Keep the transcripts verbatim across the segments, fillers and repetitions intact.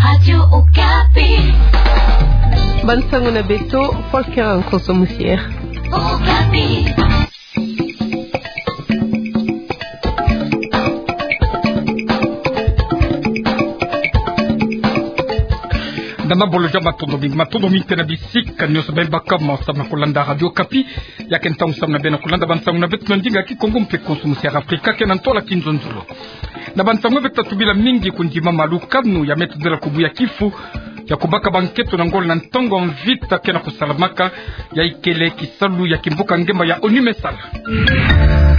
Radio Okapi. Bansango na beto, Volker Nkonso Musier. Okapi. Nana bolo ja matondo mingi, matondo mingi tena bisika nyonso beno baka ma samu na kulanda Radio Okapi. Ya ke ntangu samu na beno kulanda bansango na beto na ndinga Kikongo mpe Nkonso Musier Afrika, ke na ntwala Kinzonzolo. Na bansango beto tatu bila mingi kundima ma lukanu ya me tondela kubuya kifu ya kubaka bankento na ngolo na ntangu mvita ke na kusalamaka, ya ikele kisalu ya kimvuka ngemba ya ONU me sala.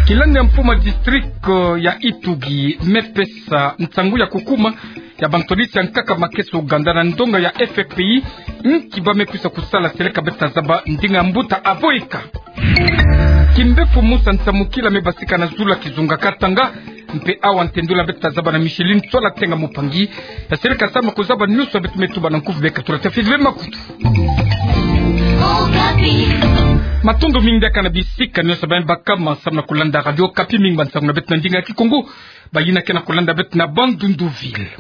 Kilandi ya mfumu ya district, eh, ya Ituri me pesa nsangu ya kukuma ya bantwadisi ya nkaka makesa Ouganda na ndonga ya F F P I, nki ba me kwisa kusala seleka beto ta zaba ndinga mbuta Avoeka. Kimbefu Musa Nsamukila me basika na zulu ya kizunga Katanga, mpe awa ntendula beto ta zaba na Micheline Ntsoila Tenga Mupangi, ya seleka samu na kuzaba nyonso beto me tuba na nkufi beka tula tafiti ve makutu. Matondo mingi diaka na bisika nyonso beno baka ma samu na kulanda Radio Okapi, mingi bansango na beto na ndinga Kikongo, bayina ke na kulanda beto na Bandundu ville.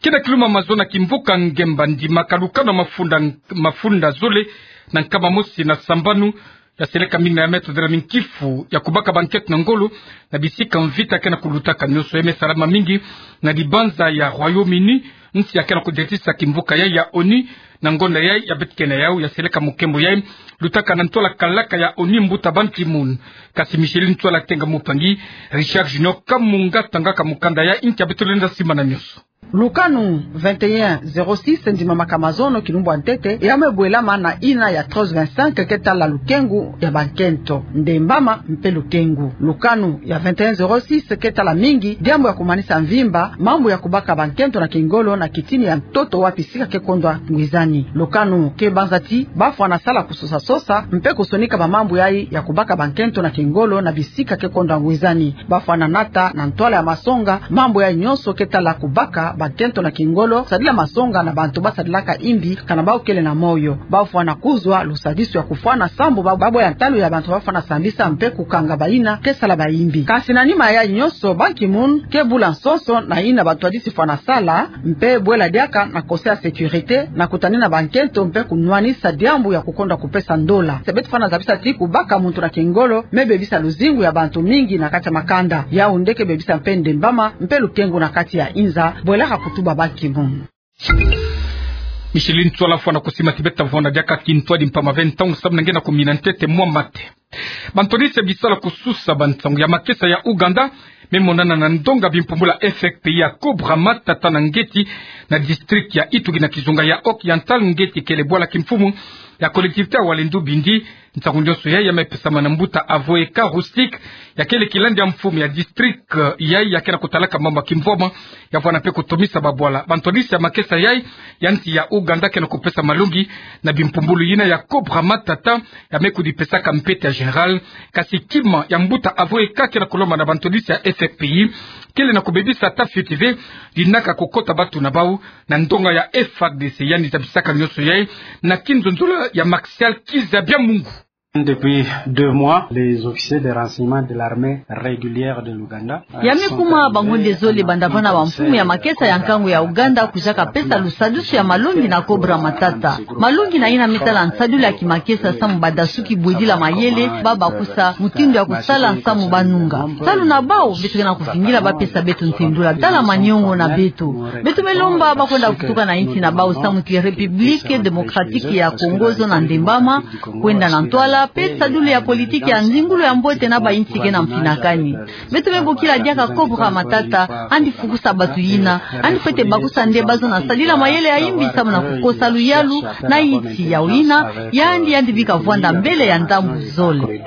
Ke na kiluma mazono ya kimvuka ngemba ndimaka lukanu ya mafunda, mafunda zole na nkama mosi na sambanu, ya seleka mingi na ya me tondela mingi kifu ya kubaka bankento na ngolo na bisika mvita ke na kulutaka nyonso. Ya me salama mingi na libanza ya Royaume-Uni, nsi ya ke na kudetisisa kimvuka yai ya ONU. Na ngonda yai ya beto ke na yau, ya seleka mokembo yai lutaka na ntwala kalaka ya ONU, mbuta Ban Ki-moon. Kasi Micheline Ntsoila Tenga Mupangi, Richard Junior Kamunga tangaka mokanda yai, nki ya beto lenda simba na nyonso. Lukanu vingt et un zéro six ndimamaka mazono kilumbu ya ntete, ya me bwelama na yina ya treize vingt-cinq ke tala lukengu ya bankento, ndembama mpe lukengu. Lukanu ya vingt et un zéro six ke tala mingi diambu ya kumanisa mvimba mambu ya kubaka bankento na kingolo na kitini ya ntoto wa bisika ke kondwa ngwizani. Lukanu ke banza ti bafwana sala kusosa-sosa mpe kusonika bamambu yai ya kubaka bankento na kingolo na bisika ke kondwa ngwizani. Bafwana nata na ntwala ya masonga mambu yai nyonso ke tala kubaka bankento na kingolo, sadila masonga na bantu basadilaka imbi kana bau kele na moyo. Bafwana kuzwa lusadisu ya kufwana sambu ba-, babwe ya ntalu ya bantu bafwana sambisa mpe kukanga bayina ke sala baimbi. Kasi na nima ya yai nyonso, Ban Ki-moon ke bula nsonso na yina bantwadisi fwana sala, mpe bwela diaka na Conseil ya sécurité na kutanina bankento mpe kunwanisa diambu ya kukondwa kupesa ndola. Se beto fwana zabisa ti kubaka muntu na kingolo me bebisa luzingu ya bantu mingi na kati ya makanda. Yaoundé ke bebisa mpe ndembama mpe lukengu na kati ya inza, bwelaka kutuba Ban Ki-moon. Micheline Ntsoila fwana kusimba ti beto ta vwanda diaka kintwadi mpamba ve ntangu samu na nge na kumina ntete mwa mate. Bantwadisi ya bisala kususa bansangu ya makesa ya Ouganda me monana na ndonga bimpumbulu ya F F P I ya Cobra Matata na ngeti, na district ya Ituri na kizunga ya Oriental, ngeti kele bwala kimfumu ya collectivité ya Walendu Bindi. Nsangu nyonso yai ya me pesama na mbuta Avoeka Rustique, ya kele kilandi ya mfumu ya district, eh, yai ya ke na kutalaka mambu ya kimvwama, ya vwanda mpe kutomisa babwala. Bantwadisi ya makesa yai ya nsi ya Ouganda ke na kupesa malongi na bimpumbulu yina ya Cobra Matata, ya me kudipesaka mpete ya général. Kasi kima ya mbuta Avoeka ke na kulomba na bantwadisi ya F F P I kele na kubebisa ata fioti ve dinaka kukota batu na bau na ndonga ya F A R D C, yandi zabisaka nyonso yai na kinzonzolo ya Martial Kiza Bya Mungu. Depuis deux mois, les officiers de renseignement de l'armée régulière de l'Ouganda, ya me kuma bangonde zole banda vana bamfumu ya makesa ya nkangu ya Ouganda kuzaka pesa lusadusu ya malongi na Cobra Matata. Malongi na yina me tala nsadilu ya kimakesa samu badasuki bwedila mayele, ba bakusa mutindu ya kusala samu banunga. Salu na bau, beto ke na kuvingila bapesa beto ntendula. Tala maniongo na beto. Beto me lomba ba kwenda kutuka na insi na bau samu ti République Démocratique ya Congo zo na ndembama, kwenda na ntwala, mpe sadulu ya politiki ya nzingulu ya mbote na ba insi ke na mfinakani. Beto me bokila diaka Cobra Matata, yandi fukusa batu yina, yandi fwete bakusa nde bazo na sadila mayele ya imbi samu na kukosa luyalu na insi ya yina, yandi, yandi bika vwanda mbele ya ndambu zole.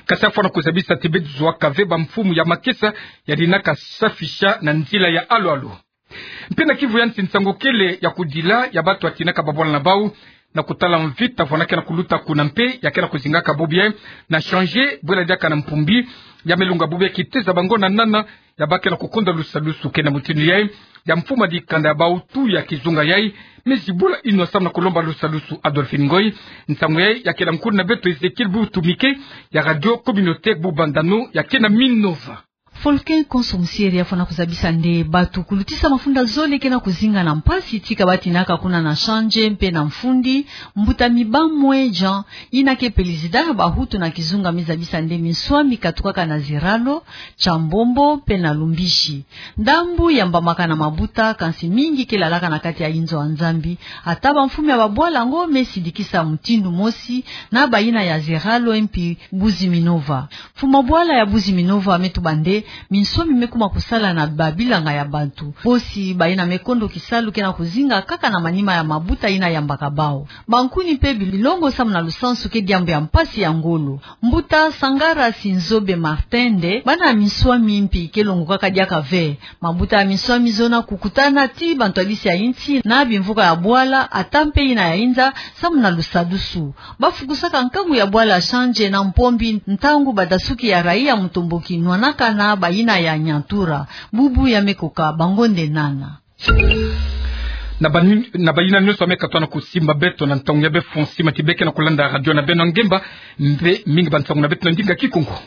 Kasi afwana kuzabisa ti beto zwaka ve bamfumu ya makesa ya dinaka safisha na nzila ya alu-alu. Mpe na Kivu ya Nsi, nsangu kele ya kudila ya batu ya tinaka babwala na bau na kutala mvita vwanda ke na kuluta kuna mpe ya ke na kuzingaka bubu yai na Changer, bwela diaka na Mpumbi, ya me longa bubu yai kitezo bango na nana ya ba ke na kukonda lusadusu. Ke na mutindu yai, ya mfumu ya dikanda ya bau tu ya kizunga yai me zibula inwa samu na kulomba lusadusu. Adolphine Ngoy. Nsangu yai ya ke na nkulu na beto Ezechiel Butumike ya Radio Communautaire Bubanza-No ya ke na Minova. Folkin Konso Musieri afwana kuzabisa nde batu kulutisa mafunda zole ke na kuzinga na mpasi ti kabatinaka kuna na Shandje mpe na Mfundi, mbuta Mibamwe Jean, ina ke pelizida ya bahutu na kizunga, me zabisa nde minswami katukaka na Ziralo, Tshambombo mpe na Lumbishi. Ndambu yambamaka na mabuta, kansi mingi ke lalaka na kati ya inzo ya Nzambi. Ata bamfumu ya babwala yango me sidikisa mutindu mosi na bayina ya Ziralo mpe Buzi Minova. Mfumu wa bwala ya Buzi Minova me tuba nde minswami me kuma kusala na babilanga ya bantu. Bosi bayina me kondo kisalu ke na kuzinga kaka na manima ya mabuta ina yambaka bawu. Bankuni mpe bilongo samu na lusansu ke diambu ya mpasi ya ngolo. Mbuta Sangara Sinzobe Martin nde bana ya minswami mpi ke longokaka diaka ve. Mabuta ya minswami zona kukutana ti bantwadisi ya insi na bimvuka ya bwala, ata mpe ina ya inza, samu na lusadusu. Bafukusaka nkangu ya bwala Shandje na Mpombi ntangu badasuki ya raia mutomboki nwanaka na bayina ya Nyantura. Bubu ya me koka bango nde nana. Na bani-, na bayina nyonso ya me katwa na kusimba beto na ntangu ya befo, nsimbati beke na kulanda radio na beno ya ngemba, mpe mingi bansangu na beto na ndinga Kikongo.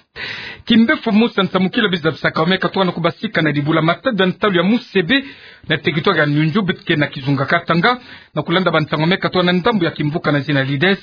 Kimbefo mosi ya nsamukila bi zabisaka ya me katwa na kubasika na dibula matadi ya ntalu ya Musebe, na territoire ya Nyunju, beto ke na kizunga Katanga, na kulanda bansangu ya me katwa na ndambu ya kimvuka na zina Leaders.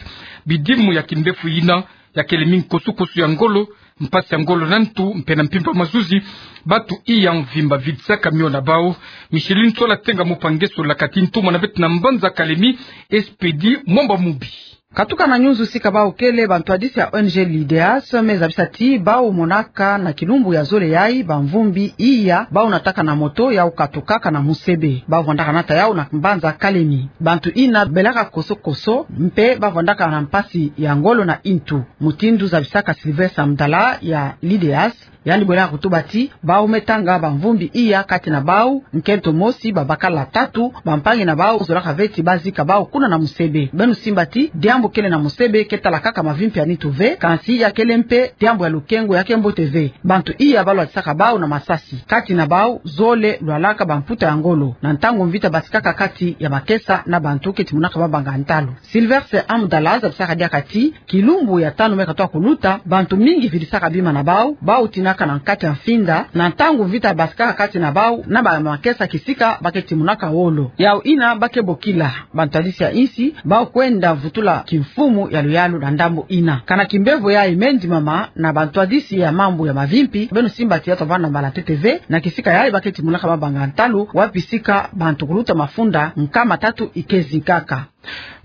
Bidimu ya kimbefo yina ya kele mingi kosukosu ya ngolo, mpasi ya ngolo na ntu, mpe na mpimpa mazuzi, batu iya mvimba vidisaka mio na bawu. Micheline Tsola Tenga Mupangeso la kati ntumwa na beto na mbanza Kalemi, Expedit Mwamba Mubi. Katuka na Nyunzu sika bawu kele bantwadisi ya O N G Leaders me zabisa ti bawu monaka na kilumbu ya zole yayi bamvumbi iya bawu nataka na moto yawu katukaka na Musebe. Bawu vandaka nata yawu na mbanza Kalemi. Bantu ina belaka kosokoso, mpe bavandaka na mpasi ya ngolo na ntu. Mutindu zabisaka Sylvestre Mdala ya Leaders, yandi bwelaka kutuba ti bawu me tanga bamvumbi iya kati na bawu, nkento mosi, babakala tatu, bampangi na bawu zolaka ve ti bazika bawu kuna na Musebe. Beno simba ti diambu kele na Musebe ke tala kaka mavimpi ya nitu ve, kansi ya kele mpe diambu ya lukengo ya ke mbote ve. Bantu iya balwatisaka bawu na masasi. Kati na bawu zole lwalaka bamputa ya ngolo na ntangu mvita basikaka kati ya makesa na bantu ke timunaka mabanga ya ntalu. Sylvestre Amdala zabisaka diaka ti kilumbu ya tanu me katwa kuluta, bantu mingi vidisaka bima na bawu, bawu tinaka na nkati ya mfinda, na ntangu mvita basikaka kati na bawu na bamakesa kisika ba ke timunaka wolo. Yawu ina ba ke bokila bantwadisi ya insi, bawu kwenda vutula kimfumu ya luyalu na ndambu ina. Kana kimbevo yayi me ndimama na bantwadisi ya mambu ya mavimpi, beno simba ti ya tavana mbala ntete ve, na kisika yayi ba ke timunaka mabanga ya ntalu, wapi sika bantu kuluta mafunda nkama tatu ikezi nkaka.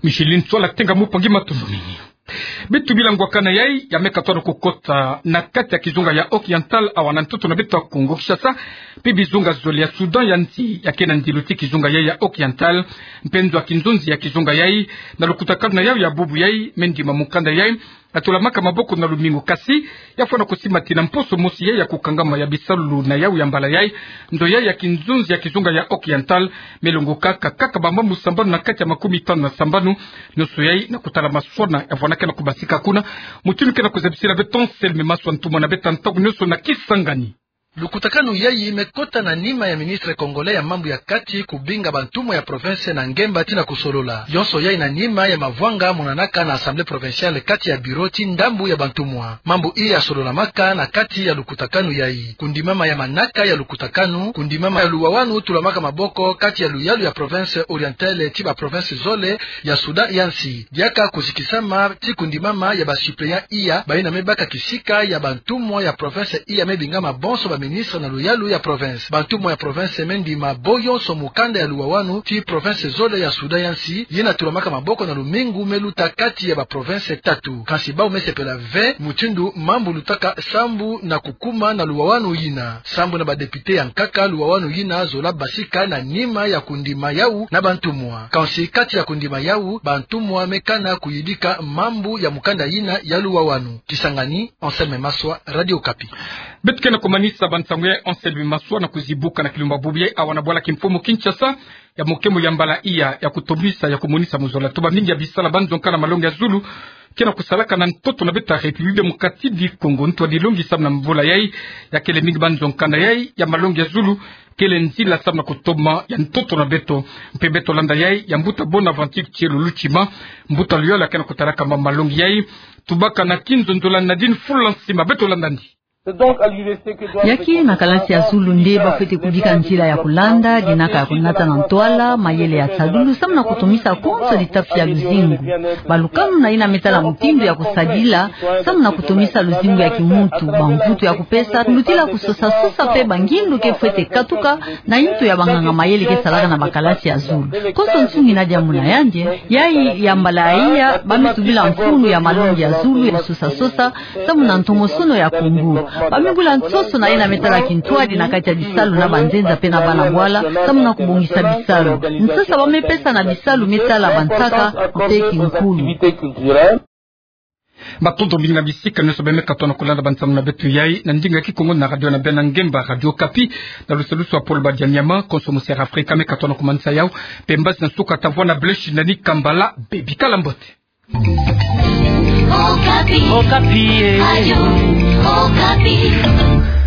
Micheline Tsola Tenga Mupangi, matondo mingi. Beto bila ngwakana yayi ya me katwa na kukota na kati ya kizunga ya Occidental, awa na ntoto na beto ya Kongo Kinshasa, mpe bizunga zole ya Soudan ya nsi ya ke na ndilu ti kizunga yayi ya Occidental, mpe nzo ya kinzonzi ya kizunga yayi, na lukutakanu na yawu ya bubu yayi, me ndima mukanda yayi, ya tulamaka maboko na lumingu, kasi ya fwana kusimba ti na mposo mosi yayi ya kukangama ya bisalu na yawu ya mbala yayi, nzo yayi ya kinzonzi ya kizunga ya Occidental me longokaka kaka bamambu sambanu na kati ya makumi tanu na sambanu. Nyonso yayi na kutala maswana ya fwana ke na kubasika kuna. Mutindu ke na kuzabisila beto Anselme Maswa, ntumwa na beto ya ntangu nyonso na Kisangani. Lukutakanu yayi me kota na nima ya ministre congolais ya mambu ya kati kubinga bantumwa ya province na ngemba ti na kusolola. Yonso yayi na nima ya mavwanga monanaka na Assemblée provinciale kati ya bureau ti ndambu ya bantumwa. Mambu iya sololamaka na kati ya lukutakanu yayi: kundimama ya manaka ya lukutakanu, kundimama ya luwawanu tulamaka maboko kati ya luyalu ya province orientale ti ba province zole ya Soudan ya nsi. Diaka kuzikisama ti kundimama ya ba suppléants iya bayina me baka kisika ya bantumwa ya province iya me bingama bonso ba ministre na luyalu ya province. Bantumwa ya province me ndima bo yonso mukanda ya luwawanu ti province zole ya Soudan ya nsi, yina tulamaka maboko na lumingu me luta kati ya ba province tatu. Kansi bawu me sepela ve mutindu mambu lutaka sambu na kukuma na luwawanu yina. Sambu na ba députés ya nkaka, luwawanu yina zola basika na nima ya kundima yawu na bantumwa. Kansi kati ya kundima yawu, bantumwa me kana kuyidika mambu ya mukanda yina ya luwawanu. Kisangani, Anselme Maswa, Radio Okapi. Beto ke na kumanisa bansangu ya Anselme Maswa na kuzibuka na kilumbu bubu yayi awa na bwala kimfumu Kinshasa, ya mukemo ya mbala iya ya kutombisa, ya kumonisa muzola tuba mingi ya bisala banzo nkana malongi ya zulu ke na kusalaka na ntoto na beto ya République démocratique du Congo. Ntwadilongi samu na mvula yayi, ya kele mingi banzo nkana yayi ya malongi ya zulu, kele nzila samu na kutoma ya ntoto na beto. Mpe beto landa yayi ya mbuta Bonaventure Thielolo Tshima, mbuta luyalu ya ke na kutalaka ma-, malongi yayi. Tubaka na kinzonzolo Nadine Fula Nsima, beto landa ndi. Ya ke na kalasi ya zulu nde ba fwete kubika nzila ya kulanda, dinaka ya kunata na ntwala mayele ya tadulu, samu na kutumisa konso litafi ya luzingu. Balukanu na ina me tala mutindu ya kusadila, samu na kutumisa luzingu ya kimuntu, bamvutu ya kupesa, lutila kusosa-sosa pe bangindu ke fwete katuka na nto ya banganga mayele ke salaka na bakalasi ya zulu. Konso nsungi na diambu na yandi, yayi ya mbala iya, ba me tubila mfunu ya malongi ya zulu ya sosa-sosa, samu na ntomosono ya Kongo. Ba me bula nsoso na ina me tala kintwadi na kati ya bisalu na banzenza pe na bana bwala, samu na kubongisa bisalu. Nsasa ba me pesa na bisalu me tala bansaka, pe kinkulu. Matondo mingi na bisika nyonso ba me katuka na kulanda bansambu na beto yayi na ndinga ya Kikongo na radio na beno ya ngemba, Radio Okapi, na lusalusu ya Paul Badia Nyama, konso Monseigneur Afrika me katuka na kumanisa yawu, pe mbazi na suka ta vwa na Blaise Nani Kambala, bebikala mbote. Okapi. Okapi, eh. Radio Okapi.